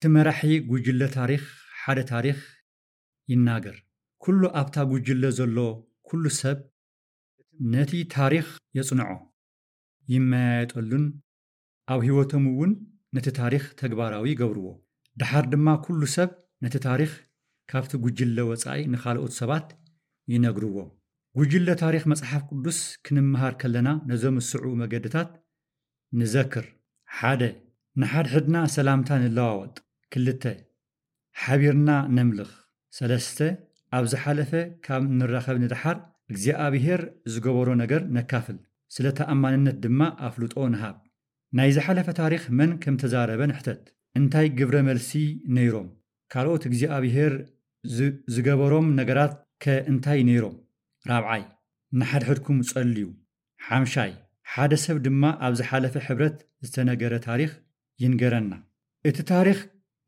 እቲ መራሒ ጉጅለ ታሪኽ ሓደ ታሪኽ ይናገር። ኩሉ ኣብታ ጉጅለ ዘሎ ኩሉ ሰብ ነቲ ታሪኽ የጽንዖ፣ ይመያየጠሉን ኣብ ህይወቶም እውን ነቲ ታሪኽ ተግባራዊ ይገብርዎ። ደሓር ድማ ኩሉ ሰብ ነቲ ታሪኽ ካብቲ ጉጅለ ወጻኢ ንኻልኦት ሰባት ይነግርዎም። ጉጅለ ታሪኽ መጽሓፍ ቅዱስ ክንመሃር ከለና ነዞም ዝስዕቡ መገድታት ንዘክር። ሓደ፣ ንሓድሕድና ሰላምታ ንለዋወጥ። ክልተ፣ ሓቢርና ነምልኽ። ሰለስተ፣ ኣብ ዝሓለፈ ካብ ንራኸብ ንደሓር እግዚኣብሔር ዝገበሮ ነገር ነካፍል፣ ስለ ተኣማንነት ድማ ኣፍልጦ ንሃብ። ናይ ዝሓለፈ ታሪኽ መን ከም ተዛረበ ንሕተት። እንታይ ግብረ መልሲ ነይሮም? ካልኦት እግዚኣብሔር ዝ-፣ ዝገበሮም ነገራት ከ እንታይ ነይሮም? ራብዓይ፣ ንሓድሕድኩም ጸልዩ። ሓምሻይ፣ ሓደ ሰብ ድማ ኣብ ዝሓለፈ ሕብረት ዝተነገረ ታሪኽ ይንገረና። እቲ ታሪኽ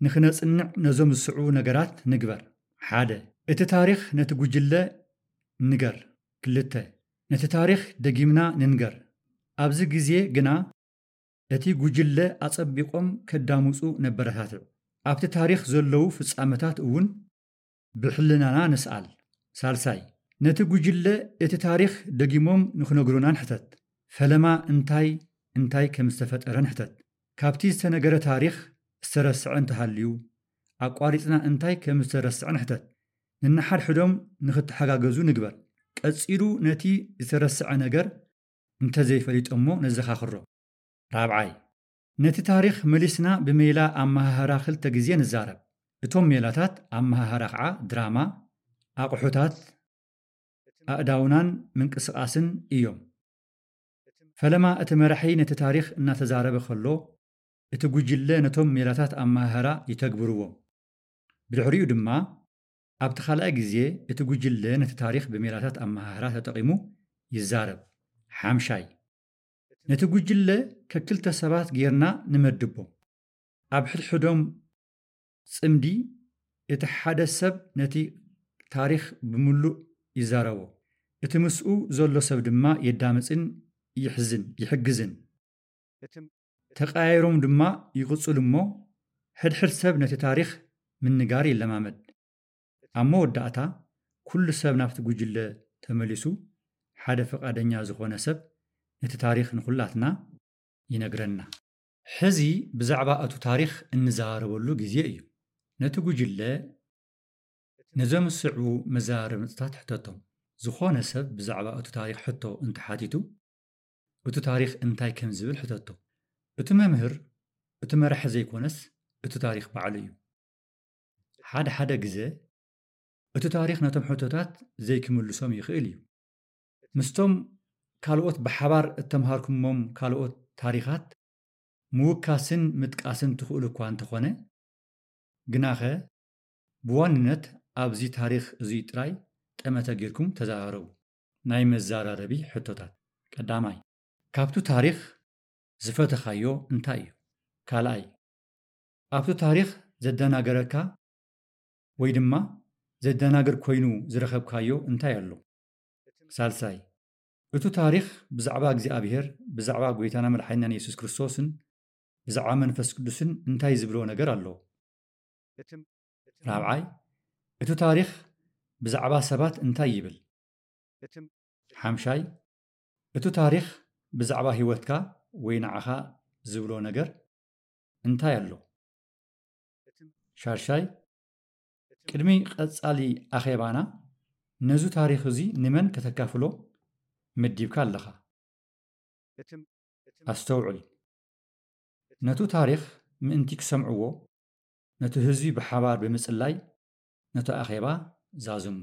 ንኽነጽንዕ ነዞም ዝስዕቡ ነገራት ንግበር። ሓደ፣ እቲ ታሪኽ ነቲ ጉጅለ ንገር። ክልተ፣ ነቲ ታሪኽ ደጊምና ንንገር። ኣብዚ ግዜ ግና እቲ ጉጅለ ኣጸቢቖም ከዳምጹ ነበረታትዕ። ኣብቲ ታሪኽ ዘለዉ ፍጻመታት እውን ብሕልናና ንስኣል። ሳልሳይ፣ ነቲ ጉጅለ እቲ ታሪኽ ደጊሞም ንኽነግሩና ንሕተት። ፈለማ እንታይ እንታይ ከም ዝተፈጠረ ንሕተት። ካብቲ ዝተነገረ ታሪኽ ዝተረስዐ እንተሃልዩ፣ ኣቋሪጽና እንታይ ከም ዝተረስዐ ንሕተት። ንንሓድሕዶም ንኽተሓጋገዙ ንግበር። ቀጺሉ ነቲ ዝተረስዐ ነገር እንተዘይፈሊጦሞ ነዘኻኽሮ። ራብዓይ፣ ነቲ ታሪኽ መሊስና ብሜላ ኣመሃህራ ክልተ ግዜ ንዛረብ። እቶም ሜላታት ኣመሃህራ ኸዓ ድራማ፣ ኣቑሑታት፣ ኣእዳውናን ምንቅስቓስን እዮም። ፈለማ እቲ መራሒ ነቲ ታሪኽ እናተዛረበ ከሎ፣ እቲ ጉጅለ ነቶም ሜላታት ኣመሃህራ ይተግብርዎም። ብድሕሪኡ ድማ ኣብቲ ካልኣይ ግዜ እቲ ጉጅለ ነቲ ታሪኽ ብሜላታት ኣመሃህራ ተጠቒሙ ይዛረብ። ሓምሻይ፣ ነቲ ጉጅለ ከክልተ ሰባት ጌርና ንመድቦ። ኣብ ሕድሕዶም ጽምዲ እቲ ሓደ ሰብ ነቲ ታሪኽ ብምሉእ ይዛረቦ። እቲ ምስኡ ዘሎ ሰብ ድማ የዳምጽን ይሕዝን፣ ይሕግዝን። ተቐያይሮም ድማ ይቕጽሉ እሞ ሕድሕድ ሰብ ነቲ ታሪኽ ምንጋር ይለማመድ። ኣብ መወዳእታ ኩሉ ሰብ ናብቲ ጉጅለ ተመሊሱ ሓደ ፍቓደኛ ዝኾነ ሰብ ነቲ ታሪኽ ንኹላትና ይነግረና። ሕዚ ብዛዕባ እቱ ታሪኽ እንዘራረበሉ ግዜ እዩ። ነቲ ጉጅለ ነዞም ዝስዕቡ መዘራረብታት ሕተቶም። ዝኾነ ሰብ ብዛዕባ እቱ ታሪኽ ሕቶ እንተሓቲቱ፣ እቱ ታሪኽ እንታይ ከም ዝብል ሕተቶ። እቲ መምህር፣ እቲ መራሒ ዘይኮነስ፣ እቲ ታሪኽ ባዕሉ እዩ። ሓደ ሓደ ግዜ እቲ ታሪኽ ነቶም ሕቶታት ዘይክምልሶም ይኽእል እዩ። ምስቶም ካልኦት ብሓባር እተምሃርኩሞም ካልኦት ታሪኻት ምውካስን ምጥቃስን ትኽእሉ እኳ እንተኾነ፣ ግናኸ ብዋንነት ኣብዚ ታሪኽ እዙይ ጥራይ ጠመተ ጌርኩም ተዘራረቡ። ናይ መዘራረቢ ሕቶታት። ቀዳማይ፣ ካብቱ ታሪኽ ዝፈተኻዮ እንታይ እዩ? ካልኣይ፣ ኣብቱ ታሪኽ ዘደናገረካ ወይ ድማ ዘደናግር ኮይኑ ዝረኸብካዮ እንታይ ኣሎ? ሳልሳይ፣ እቱ ታሪኽ ብዛዕባ እግዚኣብሔር፣ ብዛዕባ ጐይታና መድሓኒናን የሱስ ክርስቶስን ብዛዕባ መንፈስ ቅዱስን እንታይ ዝብሎ ነገር ኣሎ? ራብዓይ፣ እቱ ታሪኽ ብዛዕባ ሰባት እንታይ ይብል? ሓምሻይ፣ እቱ ታሪኽ ብዛዕባ ህይወትካ ወይ ንዓኻ ዝብሎ ነገር እንታይ ኣሎ? ሻድሻይ፣ ቅድሚ ቀጻሊ ኣኼባና ነዙ ታሪኽ እዙይ ንመን ከተካፍሎ መዲብካ ኣለኻ? ኣስተውዕል። ነቱ ታሪኽ ምእንቲ ክሰምዕዎ፣ ነቱ ህዝቢ ብሓባር ብምጽላይ ነቱ ኣኼባ ዛዝሞ።